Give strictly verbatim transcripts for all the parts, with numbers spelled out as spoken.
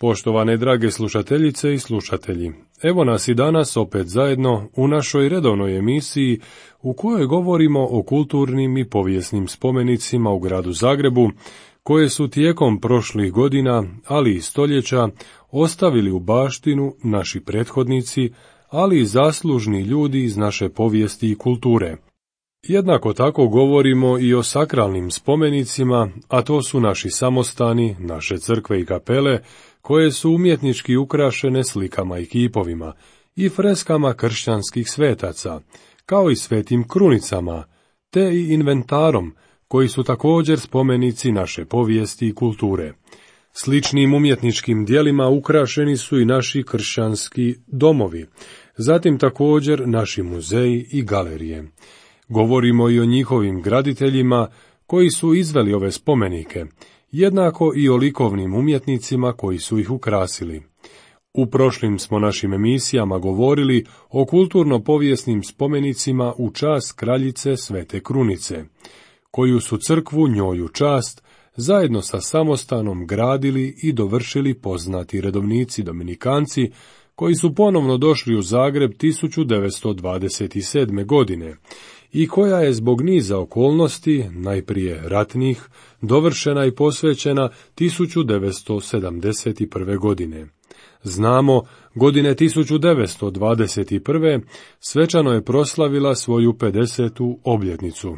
Poštovane drage slušateljice i slušatelji, evo nas i danas opet zajedno u našoj redovnoj emisiji u kojoj govorimo o kulturnim i povijesnim spomenicima u gradu Zagrebu, koje su tijekom prošlih godina, ali i stoljeća, ostavili u baštinu naši prethodnici, ali i zaslužni ljudi iz naše povijesti i kulture. Jednako tako govorimo i o sakralnim spomenicima, a to su naši samostani, naše crkve i kapele, koje su umjetnički ukrašene slikama i kipovima i freskama kršćanskih svetaca, kao i svetim krunicama, te i inventarom, koji su također spomenici naše povijesti i kulture. Sličnim umjetničkim dijelima ukrašeni su i naši kršćanski domovi, zatim također naši muzeji i galerije. Govorimo i o njihovim graditeljima koji su izveli ove spomenike, jednako i o likovnim umjetnicima koji su ih ukrasili. U prošlim smo našim emisijama govorili o kulturno-povijesnim spomenicima u čast kraljice Svete Krunice, koju su crkvu njoj u čast zajedno sa samostanom gradili i dovršili poznati redovnici dominikanci, koji su ponovno došli u Zagreb tisuću devetsto dvadeset sedme. godine i koja je zbog niza okolnosti, najprije ratnih, dovršena i posvećena tisuću devetsto sedamdeset prve. godine. Znamo, godine tisuću devetsto dvadeset prve. svečano je proslavila svoju pedesetu obljetnicu.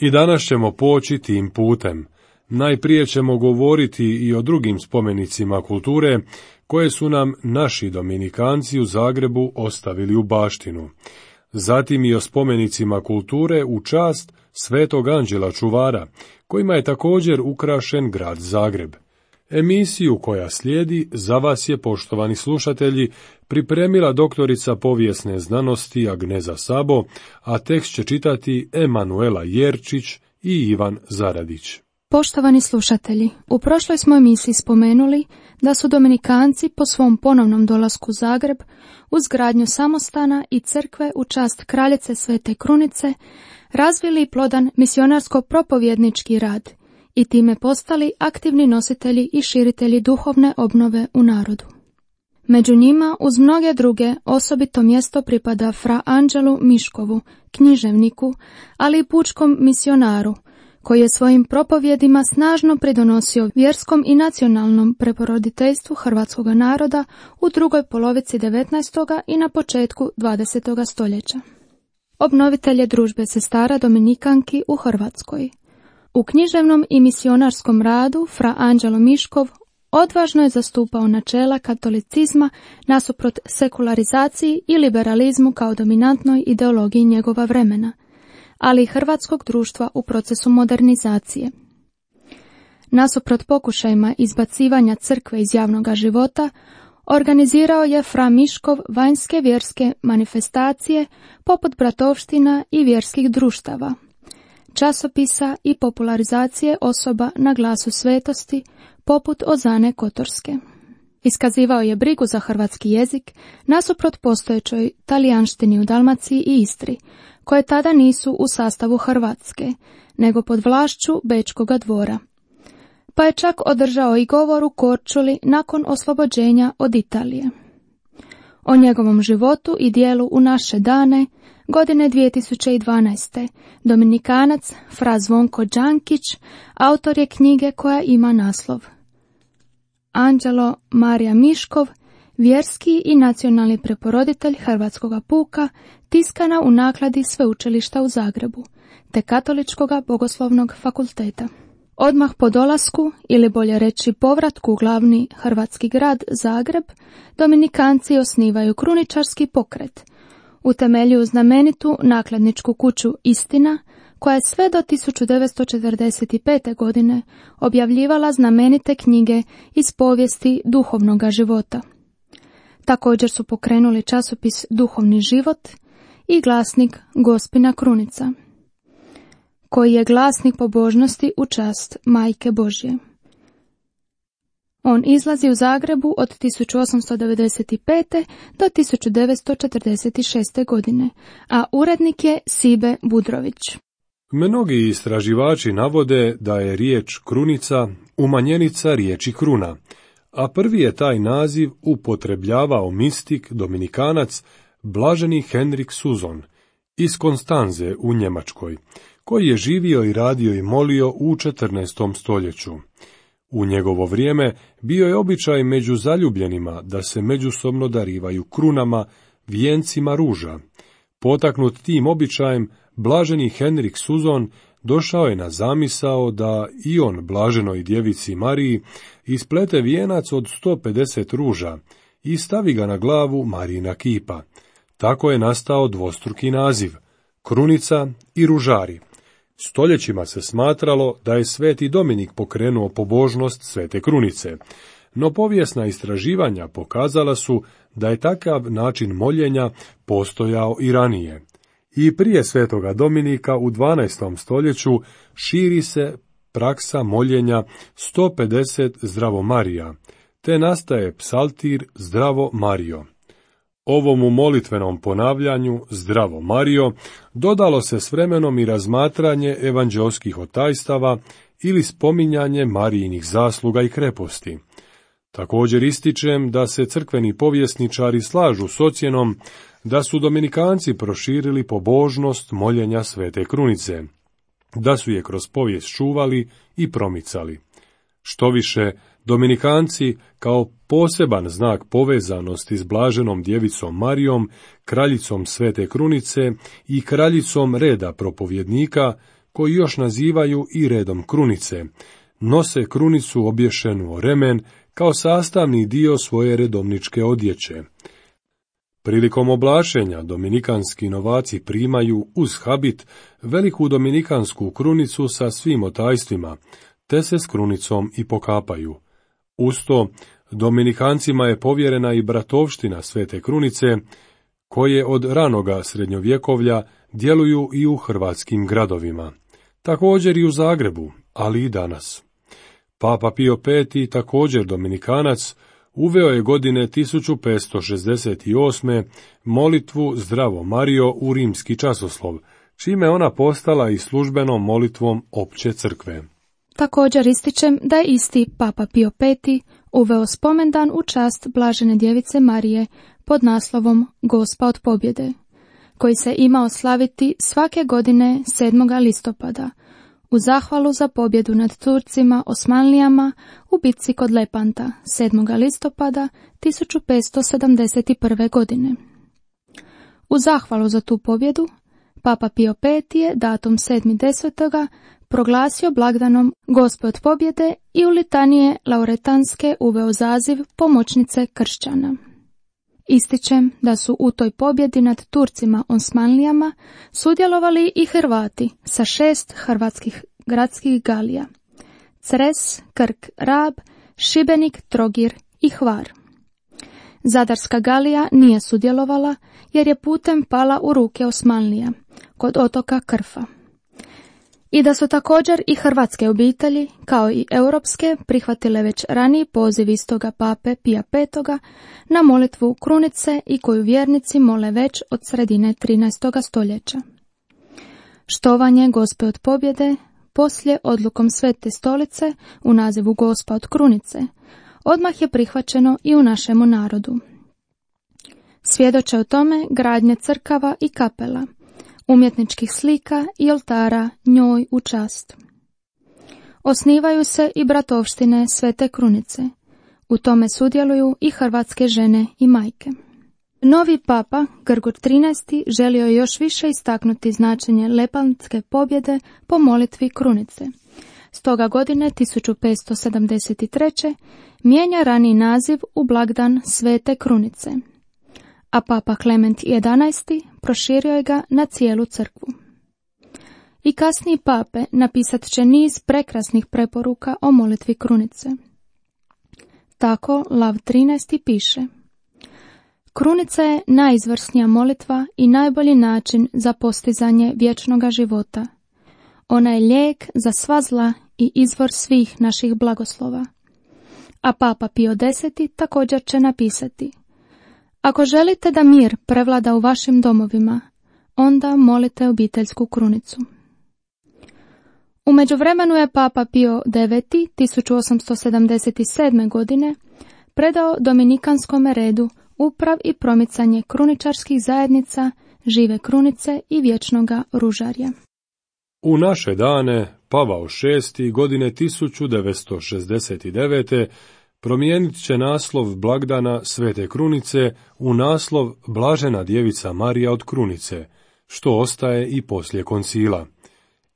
I danas ćemo poći tim putem. Najprije ćemo govoriti i o drugim spomenicima kulture, koje su nam naši dominikanci u Zagrebu ostavili u baštinu. Zatim i o spomenicima kulture u čast Svetog Anđela Čuvara, kojima je također ukrašen grad Zagreb. Emisiju koja slijedi za vas je, poštovani slušatelji, pripremila doktorica povijesne znanosti Agneza Sabo, a tekst će čitati Emanuela Jerčić i Ivan Zaradić. Poštovani slušatelji, u prošloj smo emisiji spomenuli da su dominikanci po svom ponovnom dolasku u Zagreb uz gradnju samostana i crkve u čast kraljice Svete Krunice razvili plodan misionarsko-propovjednički rad i time postali aktivni nositelji i širitelji duhovne obnove u narodu. Među njima, uz mnoge druge, osobito mjesto pripada fra Anđelu Miškovu, književniku, ali i pučkom misionaru, koji je svojim propovjedima snažno pridonosio vjerskom i nacionalnom preporoditeljstvu hrvatskog naroda u drugoj polovici devetnaestog. i na početku dvadesetog. stoljeća. Obnovitelj je družbe sestara dominikanki u Hrvatskoj. U književnom i misionarskom radu fra Anđelo Miškov odvažno je zastupao načela katolicizma nasuprot sekularizaciji i liberalizmu kao dominantnoj ideologiji njegova vremena, ali i hrvatskog društva u procesu modernizacije. Nasuprot pokušajima izbacivanja crkve iz javnog života, organizirao je fra Miškov vanjske vjerske manifestacije poput bratovština i vjerskih društava, časopisa i popularizacije osoba na glasu svetosti poput Ozane Kotorske. Iskazivao je brigu za hrvatski jezik nasuprot postojećoj talijanštini u Dalmaciji i Istri, koje tada nisu u sastavu Hrvatske, nego pod vlašću Bečkoga dvora. Pa je čak održao i govor u Korčuli nakon oslobođenja od Italije. O njegovom životu i dijelu u naše dane, godine dvije tisuće dvanaeste. Dominikanac fra Zvonko Đankić autor je knjige koja ima naslov Anđelo Marija Miškov, vjerski i nacionalni preporoditelj Hrvatskog puka, tiskana u nakladi Sveučilišta u Zagrebu, te Katoličkog bogoslovnog fakulteta. Odmah po dolasku, ili bolje reći povratku u glavni hrvatski grad Zagreb, dominikanci osnivaju kruničarski pokret, utemeljuju znamenitu nakladničku kuću Istina, koja je sve do tisuću devetsto četrdeset pete. godine objavljivala znamenite knjige iz povijesti duhovnog života. Također su pokrenuli časopis Duhovni život i glasnik Gospina Krunica, koji je glasnik pobožnosti u čast Majke Božje. On izlazi u Zagrebu od tisuću osamsto devedeset pete. do tisuću devetsto četrdeset šeste. godine, a urednik je Sibe Budrović. Mnogi istraživači navode da je riječ krunica umanjenica riječi kruna, a prvi je taj naziv upotrebljavao mistik dominikanac blaženi Henrik Suzon iz Konstanze u Njemačkoj, koji je živio i radio i molio u četrnaestom stoljeću. U njegovo vrijeme bio je običaj među zaljubljenima da se međusobno darivaju krunama, vijencima ruža. Potaknut tim običajem, blaženi Henrik Suzon došao je na zamisao da i on blaženoj djevici Mariji isplete vijenac od sto pedeset ruža i stavi ga na glavu Marijina kipa. Tako je nastao dvostruki naziv, krunica i ružari. Stoljećima se smatralo da je sveti Dominik pokrenuo pobožnost svete krunice, no povijesna istraživanja pokazala su da je takav način moljenja postojao i ranije. I prije svetoga Dominika u dvanaestom stoljeću širi se praksa moljenja sto pedeset Zdravo Marija, te nastaje psaltir Zdravo Marijo. Ovomu molitvenom ponavljanju Zdravo Marijo dodalo se s vremenom i razmatranje evanđeoskih otajstava ili spominjanje Marijinih zasluga i kreposti. Također ističem da se crkveni povjesničari slažu s ocjenom da su dominikanci proširili pobožnost moljenja svete krunice, da su je kroz povijest čuvali i promicali. Štoviše, dominikanci kao poseban znak povezanosti s blaženom djevicom Marijom, kraljicom svete krunice i kraljicom reda propovjednika, koji još nazivaju i redom krunice, nose krunicu obješenu o remen kao sastavni dio svoje redovničke odjeće. Prilikom oblašenja dominikanski novaci primaju uz habit veliku dominikansku krunicu sa svim otajstvima, te se s krunicom i pokapaju. Uz to, dominikancima je povjerena i bratovština svete krunice, koje od ranoga srednjovjekovlja djeluju i u hrvatskim gradovima. Također i u Zagrebu, ali i danas. Papa Pio peti, također dominikanac, uveo je godine tisuću petsto šezdeset osme molitvu Zdravo Marijo u rimski časoslov, čime ona postala i službenom molitvom opće crkve. Također ističem da je isti Papa Pio peti uveo spomendan u čast blažene djevice Marije pod naslovom Gospa od pobjede, koji se imao slaviti svake godine sedmoga listopada, u zahvalu za pobjedu nad Turcima Osmanlijama u bitci kod Lepanta sedmoga listopada tisuću petsto sedamdeset prve. godine. U zahvalu za tu pobjedu, Papa Pio peti je datum sedmi desetoga proglasio blagdanom Gospe od pobjede i u litanije lauretanske uveo zaziv pomoćnice kršćana. Ističem da su u toj pobjedi nad Turcima Osmanlijama sudjelovali i Hrvati sa šest hrvatskih gradskih galija: Cres, Krk, Rab, Šibenik, Trogir i Hvar. Zadarska galija nije sudjelovala jer je putem pala u ruke Osmanlija kod otoka Krfa. I da su također i hrvatske obitelji, kao i europske, prihvatile već raniji poziv istoga pape Pija petoga na molitvu krunice i koju vjernici mole već od sredine trinaestoga stoljeća. Štovanje Gospe od pobjede, poslije odlukom Svete stolice u nazivu Gospa od krunice, odmah je prihvaćeno i u našemu narodu. Svjedoče o tome gradnje crkava i kapela, umjetničkih slika i oltara njoj u čast. Osnivaju se i bratovštine Svete krunice. U tome sudjeluju i hrvatske žene i majke. Novi papa, Grgur trinaesti, želio je još više istaknuti značenje lepantske pobjede po molitvi krunice. Stoga godine tisuću petsto sedamdeset treće mijenja raniji naziv u blagdan Svete krunice, a papa Klement jedanaesti proširio je ga na cijelu crkvu. I kasniji pape napisat će niz prekrasnih preporuka o molitvi krunice. Tako Lav trinaesti piše: Krunica je najizvrsnija molitva i najbolji način za postizanje vječnoga života. Ona je lijek za sva zla i izvor svih naših blagoslova. A papa Pio deseti također će napisati: Ako želite da mir prevlada u vašim domovima, onda molite obiteljsku krunicu. U međuvremenu je Papa Pio deveti tisuću osamsto sedamdeset sedme. godine predao Dominikanskom redu uprav i promicanje kruničarskih zajednica, žive krunice i vječnoga ružarja. U naše dane Pavao šesti. godine tisuću devetsto šezdeset devete. promijenit će naslov blagdana Svete Krunice u naslov Blažena djevica Marija od Krunice, što ostaje i poslije koncila.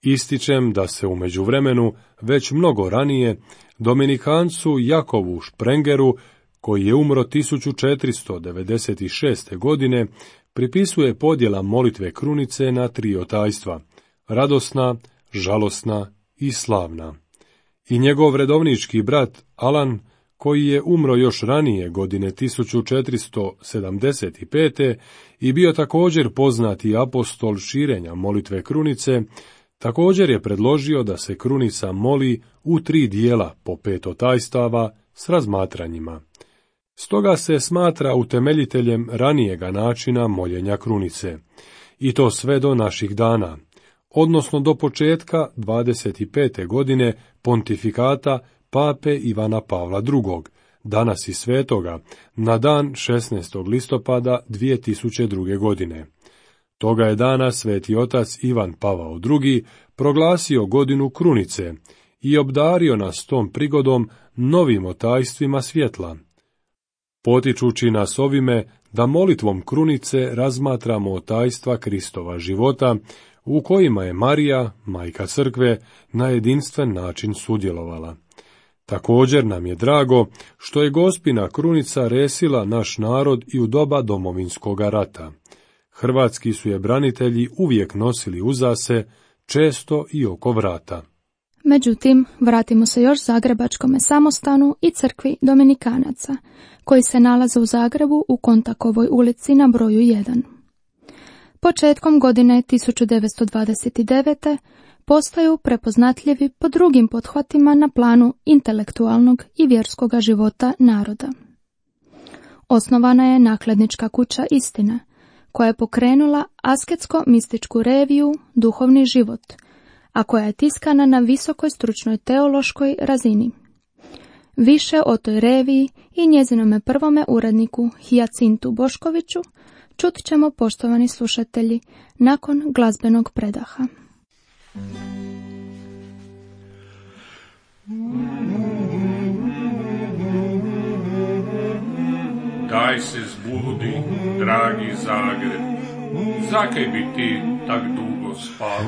Ističem da se u međuvremenu, već mnogo ranije, Dominikancu Jakovu Šprengeru, koji je umro tisuću četiristo devedeset šeste. godine, pripisuje podjela molitve krunice na tri otajstva, radosna, žalosna i slavna. I njegov redovnički brat Alan, koji je umro još ranije godine tisuću četiristo sedamdeset pete. i bio također poznati apostol širenja molitve krunice, također je predložio da se krunica moli u tri dijela po pet otajstava s razmatranjima. Stoga se smatra utemeljiteljem ranijega načina moljenja krunice, i to sve do naših dana, odnosno do početka dvadeset pete. godine pontifikata Pape Ivana Pavla drugog., danas i svetoga, na dan šesnaestog listopada dvije tisuće druge. godine. Toga je dana sveti otac Ivan Pavao drugi. proglasio godinu krunice i obdario nas tom prigodom novim otajstvima svjetla, potičući nas ovime da molitvom krunice razmatramo otajstva Kristova života, u kojima je Marija, majka crkve, na jedinstven način sudjelovala. Također nam je drago što je Gospina krunica resila naš narod i u doba Domovinskoga rata. Hrvatski su je branitelji uvijek nosili uza se, često i oko vrata. Međutim, vratimo se još Zagrebačkome samostanu i crkvi Dominikanaca, koji se nalaze u Zagrebu u Kontakovoj ulici na broju jedan. Početkom godine tisuću devetsto dvadeset devete. postaju prepoznatljivi po drugim pothvatima na planu intelektualnog i vjerskoga života naroda. Osnovana je nakladnička kuća Istina, koja je pokrenula asketsko-mističku reviju Duhovni život, a koja je tiskana na visokoj stručnoj teološkoj razini. Više o toj reviji i njezinome prvome uredniku Hijacintu Boškoviću čut ćemo, poštovani slušatelji, nakon glazbenog predaha. Daj se zbudi, dragi Zagreb, zakaj bi ti tak dugo spal?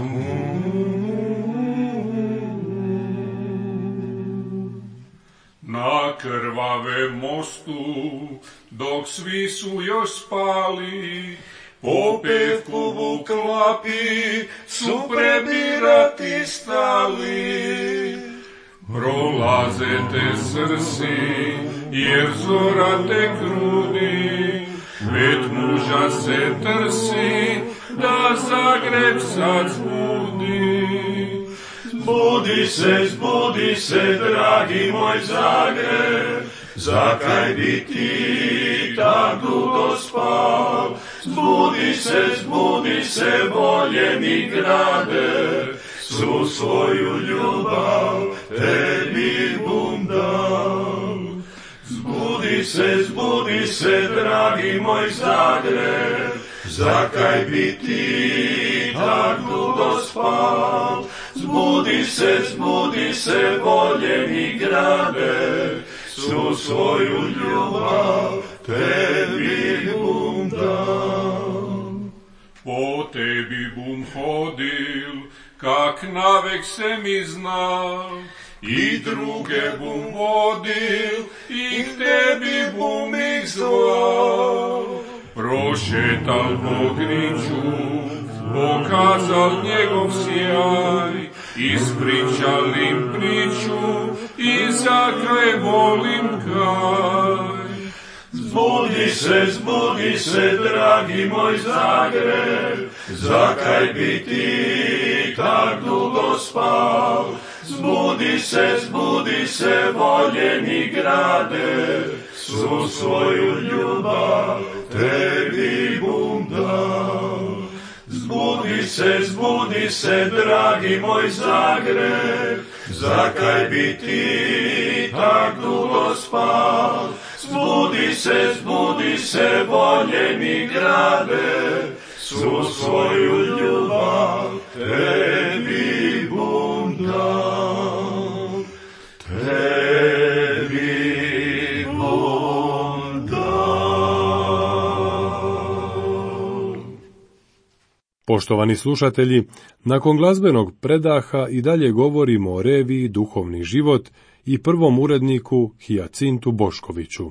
Na krvave mostu, dok svi su još spali, po pevkovu klapi su prebirati stali. Prolaze te srsi, jer zora te kruni, pet muža se trsi, da Zagreb sad zbudi. Zbudi se, zbudi se, dragi moj Zagreb, zakaj bi ti tak dugo spal? Zbudi se, zbudi se, voljeni grade, svu svoju ljubav tebi bum dal. Zbudi se, zbudi se, dragi moj Zagreb, zakaj bi ti tak dugo spal? Zbudi se, zbudi se, voljeni grade, svu svoju ljubav tebi bum dal. Po tebi bum hodil, kak navek se mi zna, i druge bum vodil, i k tebi bum ih zvao. Prošetal po griču, pokazal njegov sjaj, ispričal im priču, i zakaj volim kaj. Zbudi se, zbudi se, dragi moj Zagreb, zakaj bi ti tak dugo spal? Zbudi se, zbudi se, voljeni grade, svu svoju ljubav tebi bum dal. Zbudi Zbudi se, zbudi se, dragi moj Zagreb, zakaj bi ti tak dugo spal? Zbudi se, zbudi se, voljeni grade, svu svoju ljubav tebi bom dal, tebi bom dal. Poštovani slušatelji, nakon glazbenog predaha i dalje govorimo o reviji Duhovni život i prvom uredniku Hijacintu Boškoviću.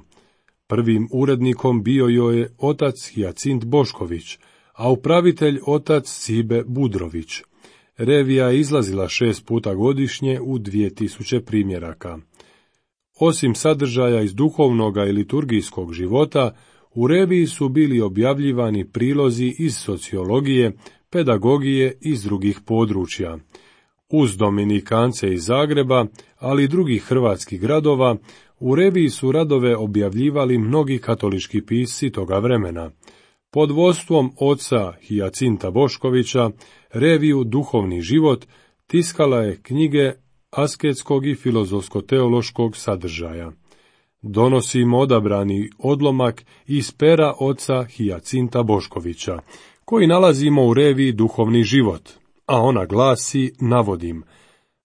Prvim urednikom bio joj je otac Hijacint Bošković, a upravitelj otac Cibe Budrović. Revija je izlazila šest puta godišnje u dvije tisuće primjeraka. Osim sadržaja iz duhovnoga i liturgijskog života, u reviji su bili objavljivani prilozi iz sociologije, pedagogije i iz drugih područja. Uz Dominikance iz Zagreba, ali i drugih hrvatskih gradova, u reviji su radove objavljivali mnogi katolički pisci toga vremena. Pod vodstvom oca Hijacinta Boškovića, reviju Duhovni život tiskala je knjige asketskog i filozofsko-teološkog sadržaja. Donosimo odabrani odlomak iz pera oca Hijacinta Boškovića, koji nalazimo u reviji Duhovni život, a ona glasi, navodim: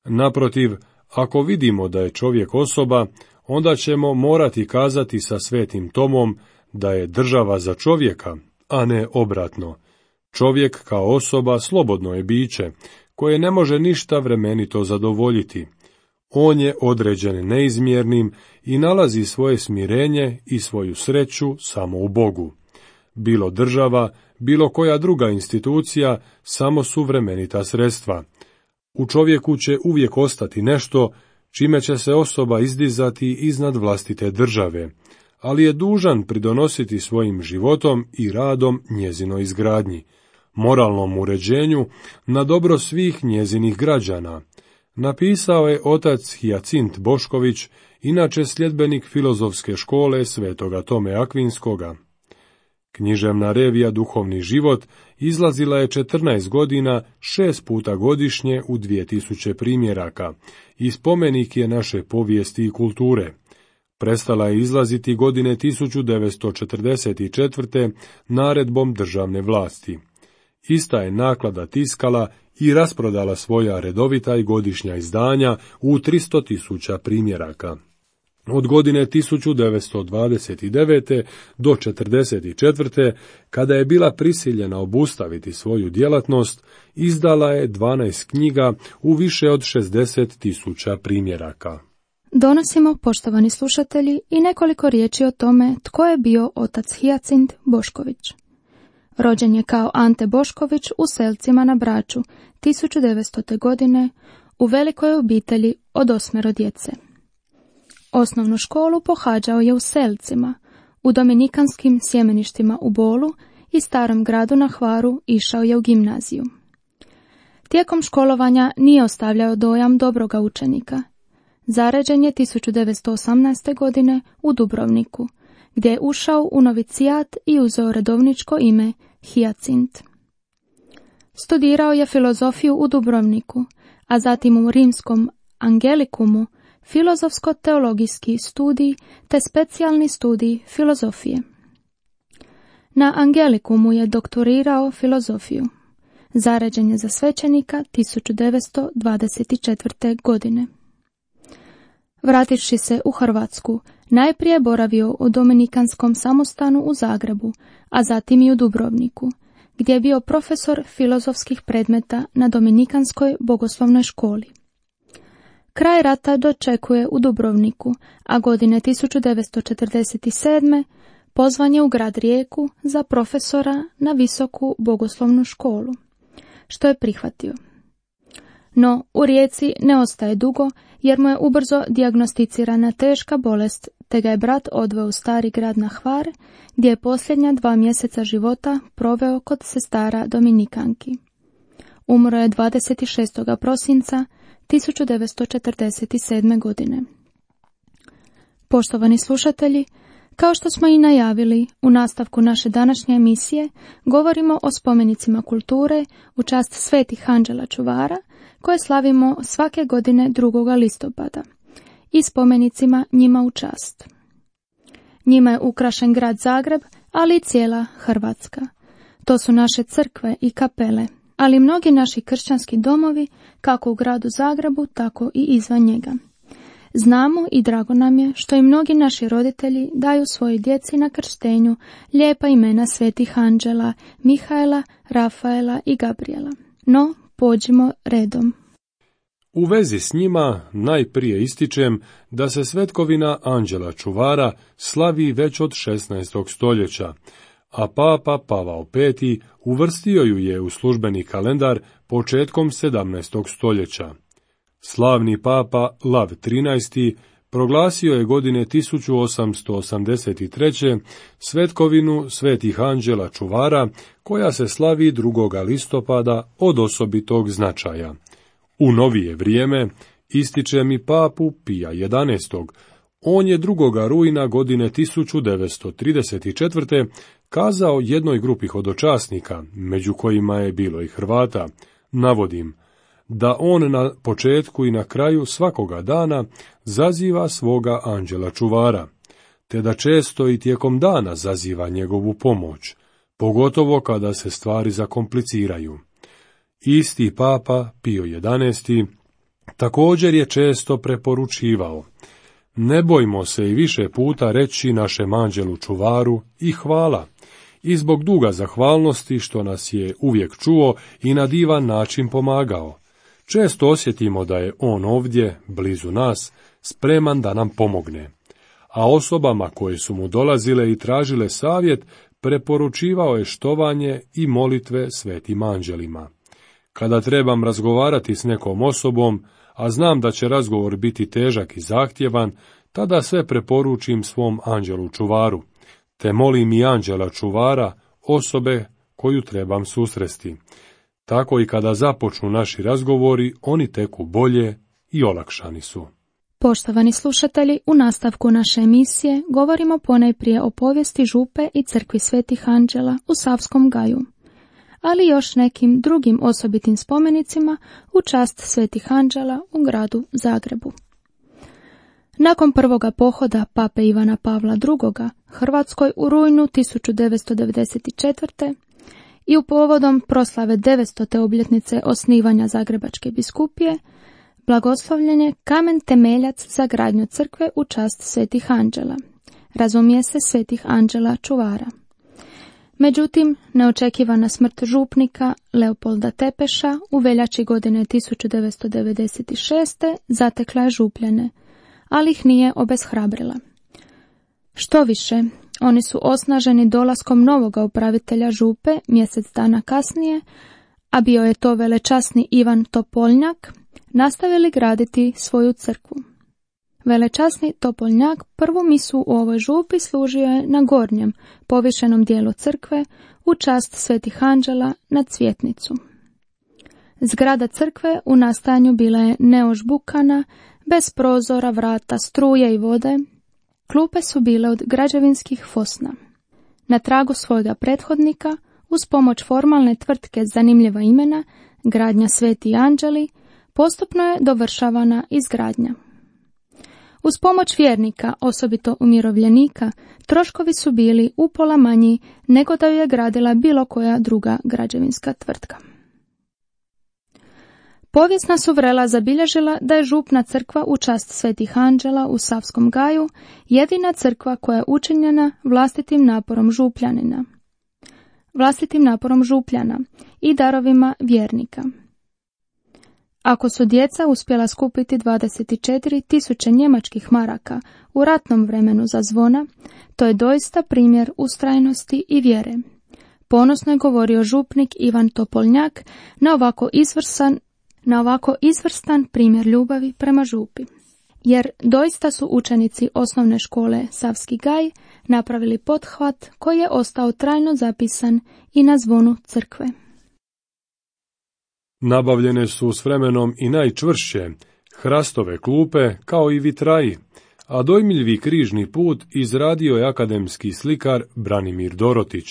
naprotiv, ako vidimo da je čovjek osoba, onda ćemo morati kazati sa Svetim Tomom da je država za čovjeka, a ne obratno. Čovjek kao osoba slobodno je biće, koje ne može ništa vremenito zadovoljiti. On je određen neizmjernim i nalazi svoje smirenje i svoju sreću samo u Bogu. Bilo država, bilo koja druga institucija, samo su vremenita sredstva. U čovjeku će uvijek ostati nešto čime će se osoba izdizati iznad vlastite države, ali je dužan pridonositi svojim životom i radom njezinoj izgradnji, moralnom uređenju na dobro svih njezinih građana. Napisao je otac Hijacint Bošković, inače sljedbenik filozofske škole Svetoga Tome Akvinskoga. Književna revija Duhovni život izlazila je četrnaest godina, šest puta godišnje u dvije tisuće primjeraka i spomenik je naše povijesti i kulture. Prestala je izlaziti godine tisuću devetsto četrdeset četvrte naredbom državne vlasti. Ista je naklada tiskala i rasprodala svoja redovita i godišnja izdanja u tristo tisuća primjeraka. Od godine tisuću devetsto dvadeset devete do četrdeset četvrte, kada je bila prisiljena obustaviti svoju djelatnost, izdala je dvanaest knjiga u više od šezdeset tisuća primjeraka. Donosimo, poštovani slušatelji, i nekoliko riječi o tome tko je bio otac Hijacint Bošković. Rođen je kao Ante Bošković u Selcima na Braču tisuću devetstote. godine u velikoj obitelji od osmero djece. Osnovnu školu pohađao je u Selcima, u dominikanskim sjemeništima u Bolu i Starom gradu na Hvaru išao je u gimnaziju. Tijekom školovanja nije ostavljao dojam dobroga učenika. Zaređen je tisuću devetsto osamnaeste. godine u Dubrovniku, gdje je ušao u novicijat i uzeo redovničko ime Hijacint. Studirao je filozofiju u Dubrovniku, a zatim u rimskom Angelikumu filozofsko-teologijski studij te specijalni studij filozofije. Na Angelikumu je doktorirao filozofiju. Zaređen je za svećenika tisuću devetsto dvadeset četvrte. godine. Vrativši se u Hrvatsku, najprije boravio u Dominikanskom samostanu u Zagrebu, a zatim i u Dubrovniku, gdje je bio profesor filozofskih predmeta na Dominikanskoj bogoslovnoj školi. Kraj rata dočekuje u Dubrovniku, a godine tisuću devetsto četrdeset sedme. pozvan je u grad Rijeku za profesora na visoku bogoslovnu školu, što je prihvatio. No, u Rijeci ne ostaje dugo, jer mu je ubrzo dijagnosticirana teška bolest, te ga je brat odveo u stari grad na Hvar, gdje je posljednja dva mjeseca života proveo kod sestara Dominikanki. Umro je dvadeset šestog prosinca tisuću devetsto četrdeset sedme. godine. Poštovani slušatelji, Kao što smo i najavili, u nastavku naše današnje emisije govorimo o spomenicima kulture u čast svetih anđela čuvara, koje slavimo svake godine drugog listopada, i spomenicima njima u čast. Njima je ukrašen grad Zagreb, ali i cijela Hrvatska. To su naše crkve i kapele, ali i mnogi naši kršćanski domovi, kako u gradu Zagrebu, tako i izvan njega. Znamo i drago nam je što i mnogi naši roditelji daju svojoj djeci na krštenju lijepa imena svetih anđela, Mihaela, Rafaela i Gabriela. No, pođimo redom. U vezi s njima najprije ističem da se svetkovina anđela čuvara slavi već od šesnaestog stoljeća, a papa Pavao peti uvrstio ju je u službeni kalendar početkom sedamnaestog stoljeća. Slavni papa Lav trinaesti proglasio je godine tisuću osamsto osamdeset treće svetkovinu svetih anđela čuvara, koja se slavi drugog listopada od osobitog značaja. U novije vrijeme ističe mi papu Pija jedanaestog. On je drugog rujna godine tisuću devetsto trideset četvrte kazao jednoj grupi hodočasnika, među kojima je bilo i Hrvata, navodim, da on na početku i na kraju svakoga dana zaziva svoga anđela čuvara, te da često i tijekom dana zaziva njegovu pomoć, pogotovo kada se stvari zakompliciraju. Isti papa Pio jedanaesti također je često preporučivao: ne bojmo se i više puta reći našem anđelu čuvaru i hvala, i zbog duga zahvalnosti što nas je uvijek čuo i na divan način pomagao. Često osjetimo da je on ovdje, blizu nas, spreman da nam pomogne. A osobama koje su mu dolazile i tražile savjet, preporučivao je štovanje i molitve svetim anđelima. Kada trebam razgovarati s nekom osobom, a znam da će razgovor biti težak i zahtjevan, tada sve preporučim svom anđelu čuvaru, te molim i anđela čuvara osobe koju trebam susresti. Tako i kada započnu naši razgovori, oni teku bolje i olakšani su. Poštovani slušatelji, u nastavku naše emisije govorimo ponajprije o povijesti župe i crkvi svetih anđela u Savskom Gaju, ali još nekim drugim osobitim spomenicima u čast svetih anđela u gradu Zagrebu. Nakon prvoga pohoda pape Ivana Pavla drugoga Hrvatskoj u rujnu tisuću devetsto devedeset četvrte i u povodom proslave devetstote obljetnice osnivanja Zagrebačke biskupije, blagoslovljen je kamen temeljac za gradnju crkve u čast svetih anđela, razumije se svetih anđela čuvara. Međutim, neočekivana smrt župnika Leopolda Tepeša u veljači godine tisuću devetsto devedeset šeste zatekla je župljane, ali ih nije obeshrabrila. Što više, oni su osnaženi dolaskom novoga upravitelja župe mjesec dana kasnije, a bio je to velečasni Ivan Topoljnjak, nastavili graditi svoju crkvu. Velečasni Topoljnjak prvu misu u ovoj župi služio je na gornjem, povišenom dijelu crkve u čast svetih anđela na Cvjetnicu. Zgrada crkve u nastajanju bila je neožbukana, bez prozora, vrata, struje i vode. Klupe su bile od građevinskih fosna. Na tragu svojega prethodnika, uz pomoć formalne tvrtke zanimljiva imena, gradnja Sveti anđeli, postupno je dovršavana izgradnja. Uz pomoć vjernika, osobito umirovljenika, troškovi su bili upola manji nego da ju je gradila bilo koja druga građevinska tvrtka. Povijesna su vrela zabilježila da je župna crkva u čast svetih anđela u Savskom Gaju jedina crkva koja je učinjena vlastitim naporom župljanina, vlastitim naporom župljana i darovima vjernika. Ako su djeca uspjela skupiti dvadeset četiri tisuće njemačkih maraka u ratnom vremenu za zvona, to je doista primjer ustrajnosti i vjere. Ponosno je govorio župnik Ivan Topoljnjak na ovako izvrsan na ovako izvrstan primjer ljubavi prema župi. Jer doista su učenici osnovne škole Savski Gaj napravili pothvat koji je ostao trajno zapisan i na zvonu crkve. Nabavljene su s vremenom i najčvršće hrastove klupe kao i vitraji, a dojmiljivi križni put izradio je akademski slikar Branimir Dorotić,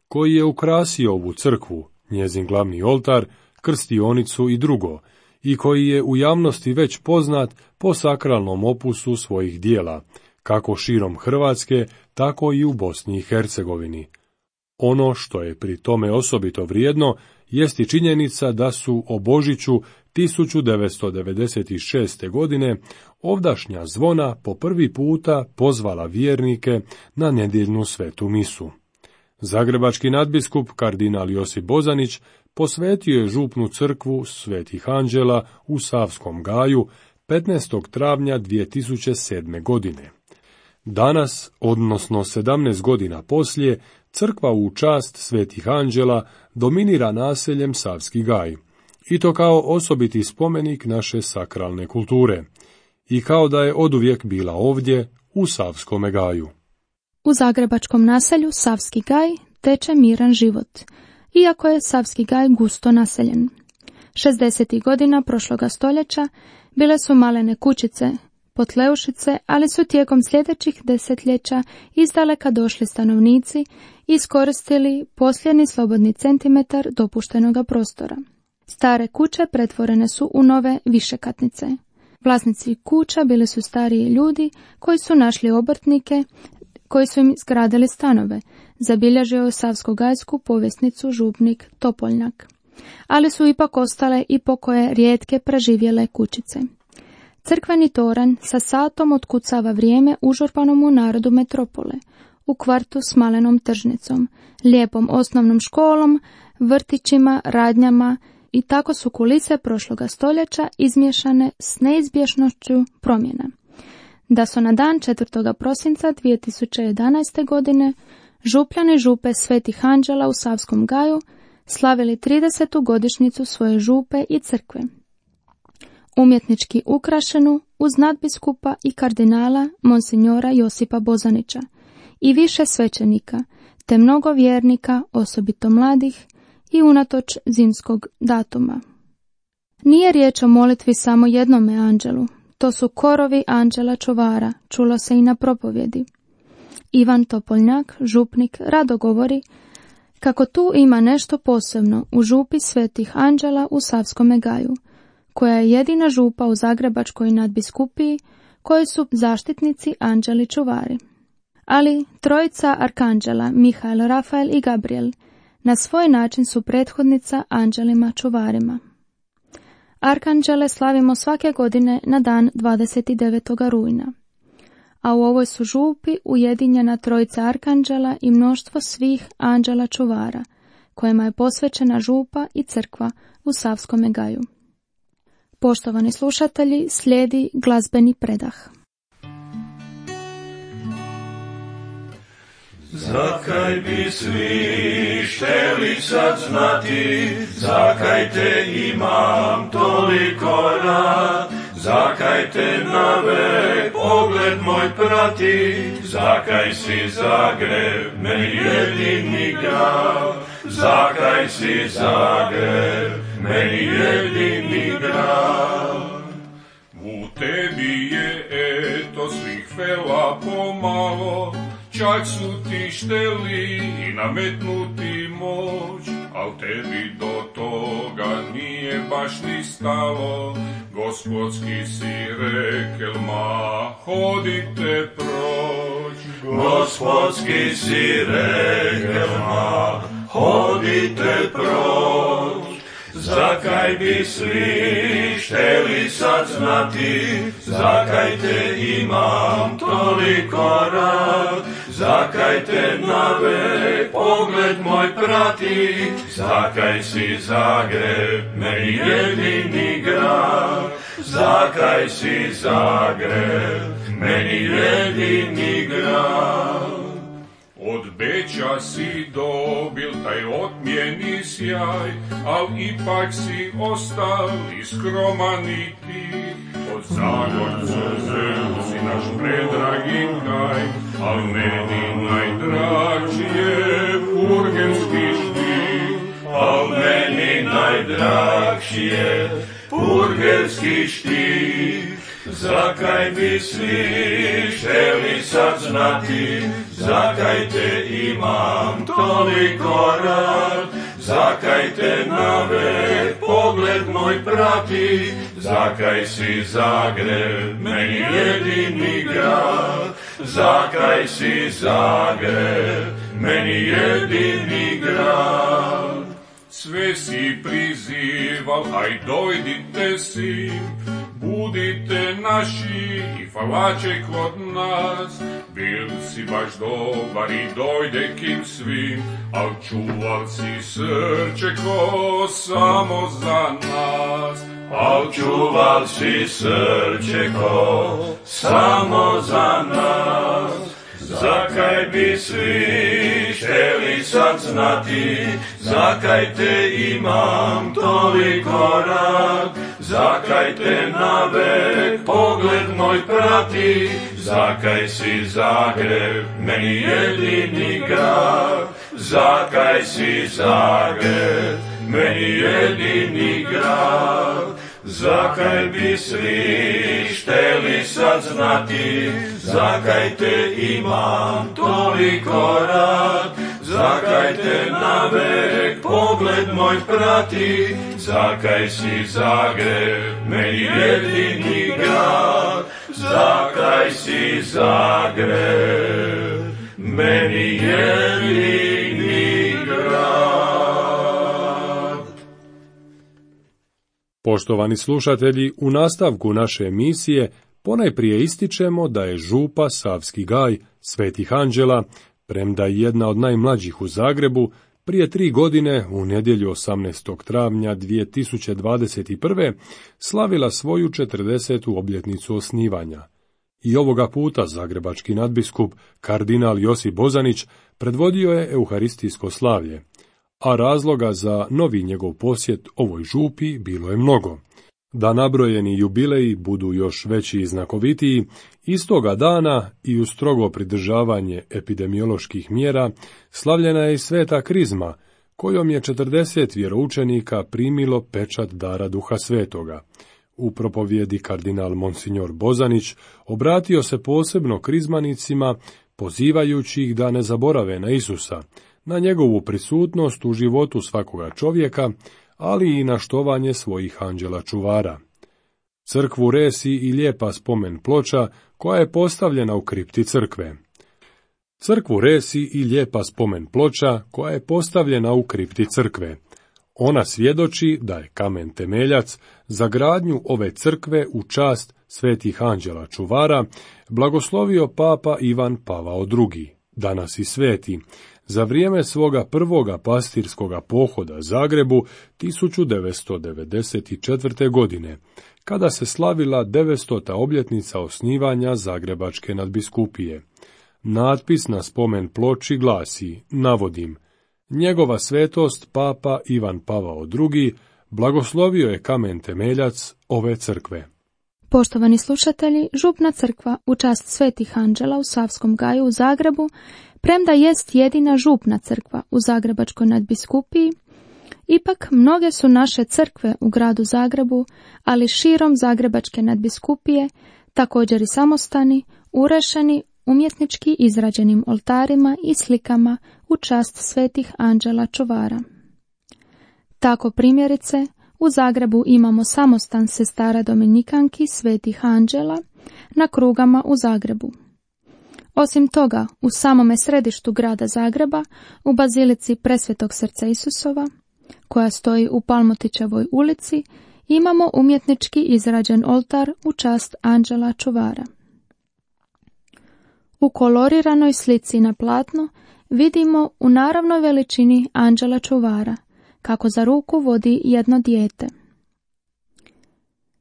koji je ukrasio ovu crkvu, njezin glavni oltar, krstionicu i drugo, i koji je u javnosti već poznat po sakralnom opusu svojih dijela, kako širom Hrvatske, tako i u Bosni i Hercegovini. Ono što je pri tome osobito vrijedno jest i činjenica da su o Božiću tisuću devetsto devedeset šeste. godine ovdašnja zvona po prvi puta pozvala vjernike na nedjeljnu svetu misu. Zagrebački nadbiskup kardinal Josip Bozanić posvetio je župnu crkvu Svetih Anđela u Savskom Gaju petnaestog travnja dvije tisuće sedme. godine. Danas, odnosno sedamnaest godina poslije, crkva u čast Svetih Anđela dominira naseljem Savski Gaj, i to kao osobiti spomenik naše sakralne kulture, i kao da je oduvijek bila ovdje u Savskome Gaju. U zagrebačkom naselju Savski Gaj teče miran život, iako je Savski Gaj gusto naseljen. šezdesetih godina prošloga stoljeća bile su malene kućice, potleušice, ali su tijekom sljedećih desetljeća izdaleka došli stanovnici i iskoristili posljednji slobodni centimetar dopuštenoga prostora. Stare kuće pretvorene su u nove višekatnice. Vlasnici kuća bili su stariji ljudi koji su našli obrtnike koji su im izgradili stanove, zabilježio je savskogajsku povjesnicu župnik Topoljnjak. Ali su ipak ostale i pokoje rijetke preživjele kućice. Crkveni toranj sa satom otkucava vrijeme užurbanom u narodu metropole, u kvartu s malenom tržnicom, lijepom osnovnom školom, vrtićima, radnjama, i tako su kulise prošloga stoljeća izmiješane s neizbježnošću promjena. Da su na dan četvrtog prosinca dvije tisuće jedanaeste. godine župljani župe Svetih Anđela u Savskom Gaju slavili tridesetu godišnjicu svoje župe i crkve. Umjetnički ukrašenu uz nadbiskupa i kardinala monsinjora Josipa Bozanića i više svećenika, te mnogo vjernika, osobito mladih, i unatoč zimskog datuma. Nije riječ o molitvi samo jednome anđelu, to su korovi anđela čuvara, čulo se i na propovjedi. Ivan Topoljnjak, župnik, rado govori kako tu ima nešto posebno u župi Svetih Anđela u Savskome Gaju, koja je jedina župa u Zagrebačkoj nadbiskupiji koji su zaštitnici anđeli čuvari. Ali trojica arkanđela, Mihael, Rafael i Gabriel, na svoj način su prethodnica anđelima čuvarima. Arkanđele slavimo svake godine na dan dvadeset devetog rujna, a u ovoj su župi ujedinjena trojica arkanđela i mnoštvo svih anđela čuvara, kojima je posvećena župa i crkva u Savskome Gaju. Poštovani slušatelji, slijedi glazbeni predah. Zakaj bi svi šteli sad znati, zakaj te imam toliko rad, zakaj te navek pogled moj prati, zakaj si Zagreb meni jedini grad, zakaj si Zagreb meni jedini grad. U tebi je eto svih fela pomalo, čak su ti šteli i nametnuti moć, al tebi do toga nije baš ni stalo. Gospodski si rekel, ma hodite proć. Gospodski si rekel, ma hodite proć. Zakaj bi svi šteli sad znati, zakaj te imam toliko rad, zakaj te navek pogled moj prati, zakaj si Zagreb meni jedini grad, zakaj si Zagreb meni jedini grad. Od Beča si dobil taj otmjeni sjaj, al ipak si ostal i skroman i tih. Od Zagorca zemlju si naš predragi kraj, al meni najdraži je purgerski štih. Al meni najdraži je purgerski štih. zakaj bi svi hteli sad znati, zakaj te imam toliko rad, zakaj te navek pogled moj prati, zakaj si Zagreb meni jedini grad, zakaj si Zagreb meni jedini grad. Sve si prizival, aj dojdite si, budite naši i falače kod nas. Bil si baš dobar i dojde kim svim, al čuval si srce ko samo za nas. Al čuval si srce ko samo za nas. Zakaj bi svi hteli sad znati, zakaj te imam toliko rad, zakaj te navek pogled moj prati, zakaj si Zagreb meni jedini grad, zakaj si Zagreb meni jedini grad. Zakaj bi svi hteli sad znati, zakaj te imam toliko rad, zakaj te navek pogled moj prati, zakaj si Zagreb meni jedini grad, zakaj si Zagreb meni jedini grad. Poštovani slušatelji, u nastavku naše emisije ponajprije ističemo da je župa Savski gaj Svetih Anđela, premda je jedna od najmlađih u Zagrebu, prije tri godine u nedjelju osamnaestog travnja dvije tisuće dvadeset prve. slavila svoju četrdesetu obljetnicu osnivanja. I ovoga puta zagrebački nadbiskup kardinal Josip Bozanić predvodio je euharistijsko slavlje, a razloga za novi njegov posjet ovoj župi bilo je mnogo. Da nabrojeni jubileji budu još veći i znakovitiji, istoga dana i uz strogo pridržavanje epidemioloških mjera slavljena je i sveta krizma, kojom je četrdeset vjeroučenika primilo pečat dara Duha Svetoga. U propovjedi kardinal Monsignor Bozanić obratio se posebno krizmanicima, pozivajući ih da ne zaborave na Isusa, na njegovu prisutnost u životu svakoga čovjeka, ali i na štovanje svojih anđela čuvara. Crkvu resi i lijepa spomen ploča koja je postavljena u kripti crkve. Crkvu resi i lijepa spomen ploča koja je postavljena u kripti crkve. Ona svjedoči da je kamen temeljac za gradnju ove crkve u čast svetih anđela čuvara blagoslovio papa Ivan Pavao drugi, danas i sveti, za vrijeme svoga prvoga pastirskoga pohoda Zagrebu tisuću devetsto devedeset četvrte. godine, kada se slavila devetstota obljetnica osnivanja Zagrebačke nadbiskupije. Natpis na spomen ploči glasi, navodim, njegova svetost papa Ivan Pavao drugi blagoslovio je kamen temeljac ove crkve. Poštovani slušatelji, župna crkva u čast svetih anđela u Savskom gaju u Zagrebu, premda jest jedina župna crkva u Zagrebačkoj nadbiskupiji, ipak mnoge su naše crkve u gradu Zagrebu, ali širom Zagrebačke nadbiskupije, također i samostani, urešeni umjetnički izrađenim oltarima i slikama u čast svetih anđela čuvara. Tako primjerice, u Zagrebu imamo samostan sestara Dominikanki svetih anđela na Krugama u Zagrebu. Osim toga, u samome središtu grada Zagreba, u bazilici Presvetog srca Isusova, koja stoji u Palmotićevoj ulici, imamo umjetnički izrađen oltar u čast anđela čuvara. U koloriranoj slici na platnu vidimo u naravnoj veličini anđela čuvara, kako za ruku vodi jedno dijete.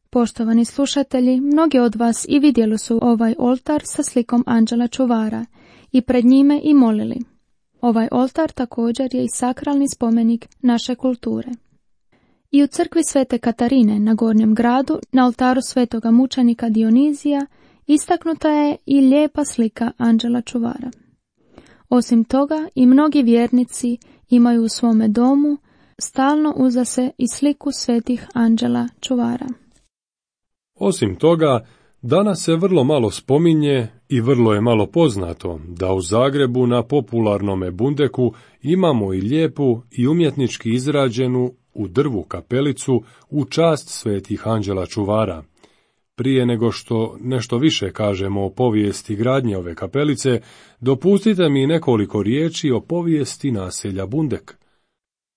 Poštovani slušatelji, mnogi od vas i vidjeli su ovaj oltar sa slikom anđela čuvara i pred njime i molili. Ovaj oltar također je i sakralni spomenik naše kulture. I u crkvi Svete Katarine na Gornjem gradu, na oltaru svetoga mučenika Dionizija, istaknuta je i lijepa slika anđela čuvara. Osim toga, i mnogi vjernici imaju u svome domu stalno uza se i sliku svetih anđela čuvara. Osim toga, Danas se vrlo malo spominje i vrlo je malo poznato da u Zagrebu na popularnome Bundeku imamo i lijepu i umjetnički izrađenu u drvu kapelicu u čast svetih anđela čuvara. Prije nego što nešto više kažemo o povijesti gradnje ove kapelice, dopustite mi nekoliko riječi o povijesti naselja Bundek.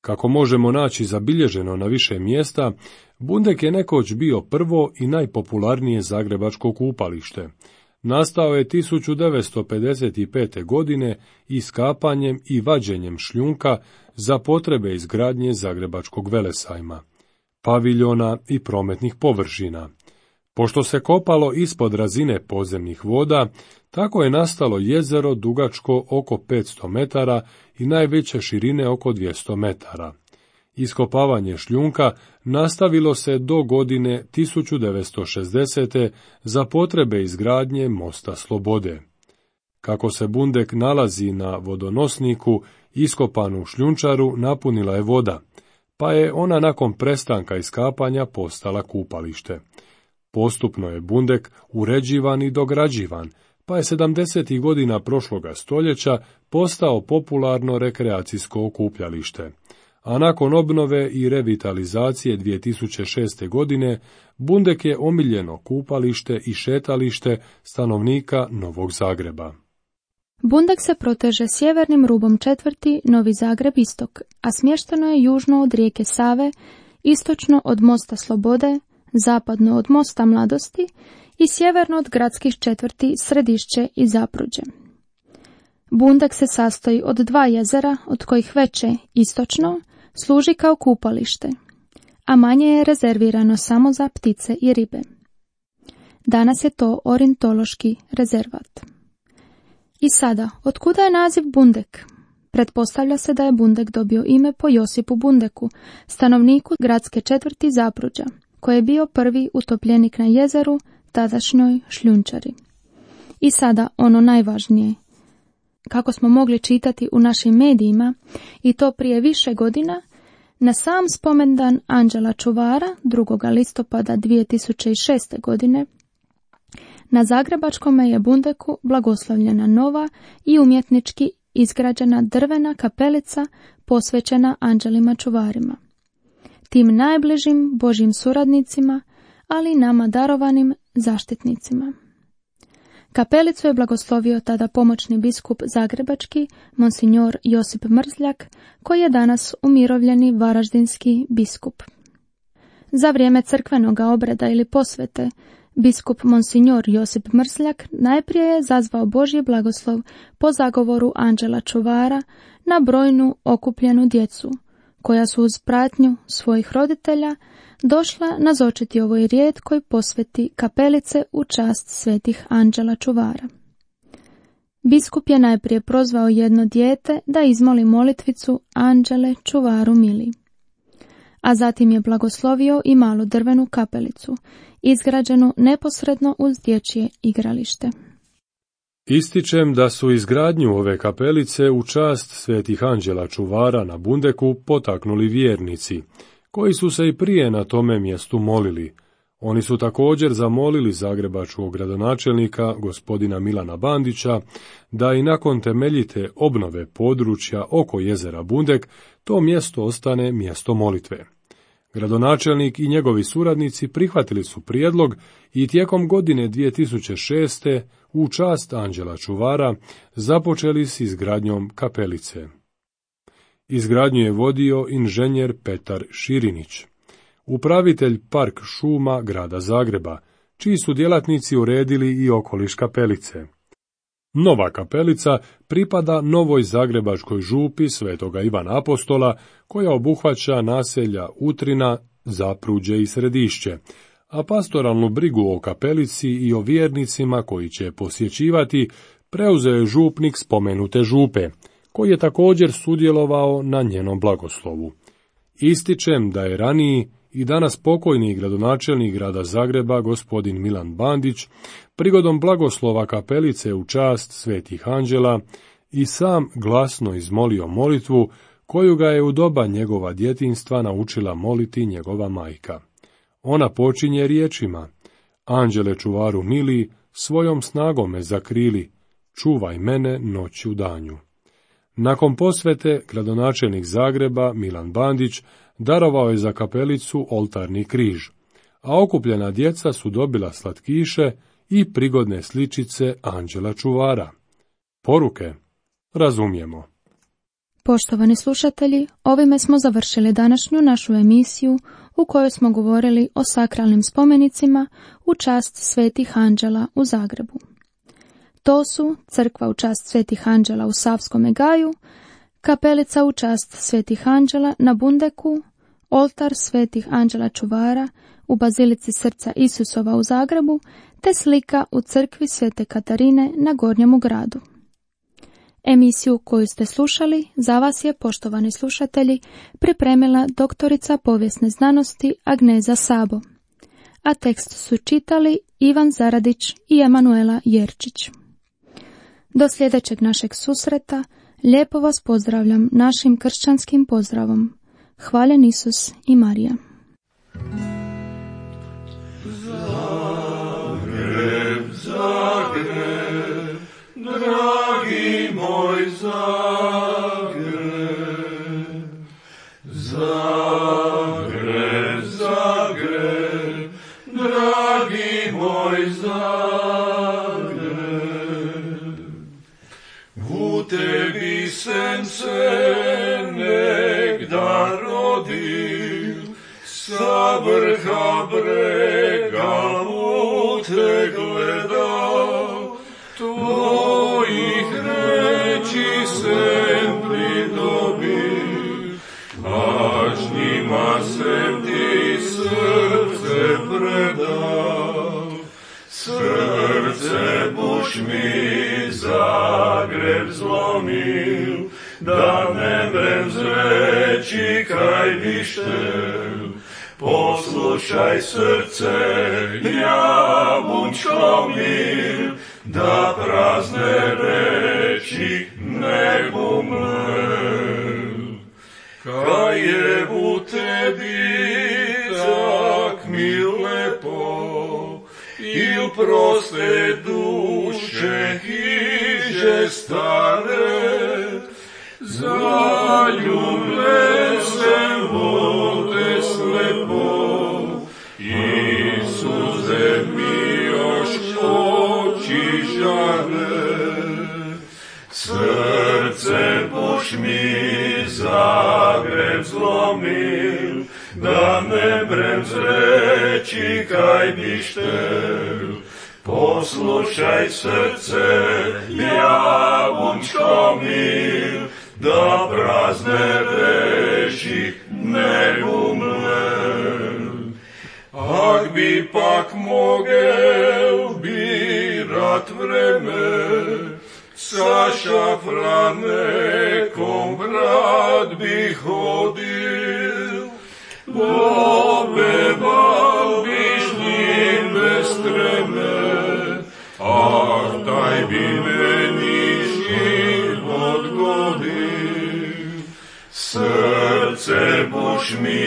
Kako možemo naći zabilježeno na više mjesta, Bundek je nekoć bio prvo i najpopularnije zagrebačko kupalište. Nastao je tisuću devetsto pedeset pete. godine iskapanjem i vađenjem šljunka za potrebe izgradnje zagrebačkog velesajma, paviljona i prometnih površina. Pošto se kopalo ispod razine podzemnih voda, tako je nastalo jezero dugačko oko petsto metara i najveće širine oko dvjesto metara. Iskopavanje šljunka nastavilo se do godine tisuću devetsto šezdesete. za potrebe izgradnje mosta Slobode. Kako se Bundek nalazi na vodonosniku, iskopanu šljunčaru napunila je voda, pa je ona nakon prestanka iskapanja postala kupalište. Postupno je Bundek uređivan i dograđivan, pa je sedamdesetih godina prošloga stoljeća postao popularno rekreacijsko okupljalište. A nakon obnove i revitalizacije dvije tisuće šeste. godine, Bundek je omiljeno kupalište i šetalište stanovnika Novog Zagreba. Bundek se proteže sjevernim rubom četvrti Novi Zagreb istok, a smješteno je južno od rijeke Save, istočno od mosta Slobode, zapadno od mosta Mladosti i sjeverno od gradskih četvrti Središće i Zapruđe. Bundek se sastoji od dva jezera, od kojih veće, istočno, služi kao kupalište, a manje je rezervirano samo za ptice i ribe. Danas je to ornitološki rezervat. I sada, otkuda je naziv Bundek? Pretpostavlja se da je Bundek dobio ime po Josipu Bundeku, stanovniku gradske četvrti Zapruđa, koji je bio prvi utopljenik na jezeru, tadašnjoj šljunčari. I sada ono najvažnije. Kako smo mogli čitati u našim medijima, i to prije više godina, na sam spomendan anđela čuvara drugog listopada dvije tisuće šeste. godine, na zagrebačkom je Bundeku blagoslovljena nova i umjetnički izgrađena drvena kapelica posvećena anđelima čuvarima, tim najbližim Božjim suradnicima, ali i nama darovanim zaštitnicima. Kapelicu je blagoslovio tada pomoćni biskup zagrebački, monsignor Josip Mrzljak, koji je danas umirovljeni varaždinski biskup. Za vrijeme crkvenoga obreda ili posvete, biskup monsignor Josip Mrzljak najprije je zazvao Božji blagoslov po zagovoru anđela čuvara na brojnu okupljenu djecu, koja su uz pratnju svojih roditelja došla nazočiti ovoj rijetkoj posveti kapelice u čast svetih anđela čuvara. Biskup je najprije prozvao jedno dijete da izmoli molitvicu Anđele čuvaru mili, a zatim je blagoslovio i malu drvenu kapelicu, izgrađenu neposredno uz dječje igralište. Ističem da su izgradnju ove kapelice u čast svetih anđela čuvara na Bundeku potaknuli vjernici, koji su se i prije na tome mjestu molili. Oni su također zamolili zagrebačkog gradonačelnika, gospodina Milana Bandića, da i nakon temeljite obnove područja oko jezera Bundek to mjesto ostane mjesto molitve. Gradonačelnik i njegovi suradnici prihvatili su prijedlog i tijekom godine dvije tisuće šeste. u čast anđela čuvara započeli s izgradnjom kapelice. Izgradnju je vodio inženjer Petar Širinić, upravitelj park šuma grada Zagreba, čiji su djelatnici uredili i okoliš kapelice. Nova kapelica pripada novoj zagrebačkoj župi Svetoga Ivana Apostola, koja obuhvaća naselja Utrina, Zapruđe i Središće, a pastoralnu brigu o kapelici i o vjernicima koji će posjećivati preuzeo je župnik spomenute župe, koji je također sudjelovao na njenom blagoslovu. Ističem da je raniji i danas pokojni gradonačelnik grada Zagreba, gospodin Milan Bandić, prigodom blagoslova kapelice u čast svetih anđela i sam glasno izmolio molitvu koju ga je u doba njegova djetinjstva naučila moliti njegova majka. Ona počinje riječima: Anđele čuvaru mili, svojom snagom me zakrili, čuvaj mene noću danju. Nakon posvete, gradonačelnik Zagreba, Milan Bandić, darovao je za kapelicu oltarni križ, a okupljena djeca su dobila slatkiše i prigodne sličice anđela čuvara. Poruke razumijemo. Poštovani slušatelji, ovime smo završili današnju našu emisiju u kojoj smo govorili o sakralnim spomenicima u čast svetih anđela u Zagrebu. To su crkva u čast svetih anđela u Savskome gaju, kapelica u čast svetih anđela na Bundeku, oltar svetih anđela čuvara u Bazilici Srca Isusova u Zagrebu, te slika u crkvi Svete Katarine na Gornjemu gradu. Emisiju koju ste slušali za vas je, poštovani slušatelji, pripremila doktorica povijesne znanosti Agneza Sabo, a tekst su čitali Ivan Zaradić i Emanuela Jerčić. Do sljedećeg našeg susreta lijepo vas pozdravljam našim kršćanskim pozdravom. Hvaljen Isus i Marija. Zagreb, Zagreb, dragi moj Zagreb, Zagreb, Zagreb, dragi moj Zagreb, u tebi sem se negda rodil, sa vrha brega u te gledao, tvojih reči sem pridobil, až njima sem ti srce predal. Srce buš mi Zagreb zlomil, da ne mrem zreći kaj biš tel. Poslušaj srce, javunčko mil, da prazne reči ne bumlel. Kaj je u tebi tak mi lepo, il proste duše hiže stare, zaljubljen sem vode slepo, Isuse mi još oči žare. Srce buš mi Zagreb zlomil, da ne mrem zreći kaj biš tel. Poslušaj srce, javunčko mil, da prazne reči ne umrel. Ak bi pak mogel birat vreme, sa šafranekom vrat bi hodil, popeval biš njim bez treme, ah, daj bi meni život godil. Srce buš mi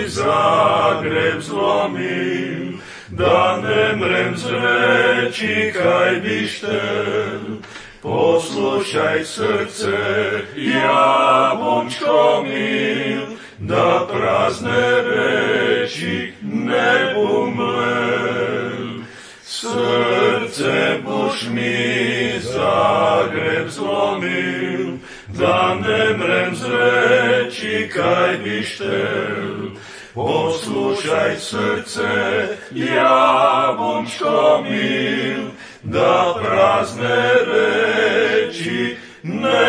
Zagreb zlomil, da ne mrem zreći kaj biš tel. Poslušaj srce, javunčko mil, da prazne reči ne bumlel. Srce buš mi Zagreb zlomil, da ne mrem zreći kaj biš tel. Poslušaj srce, javunčko mil, da prazne reči ne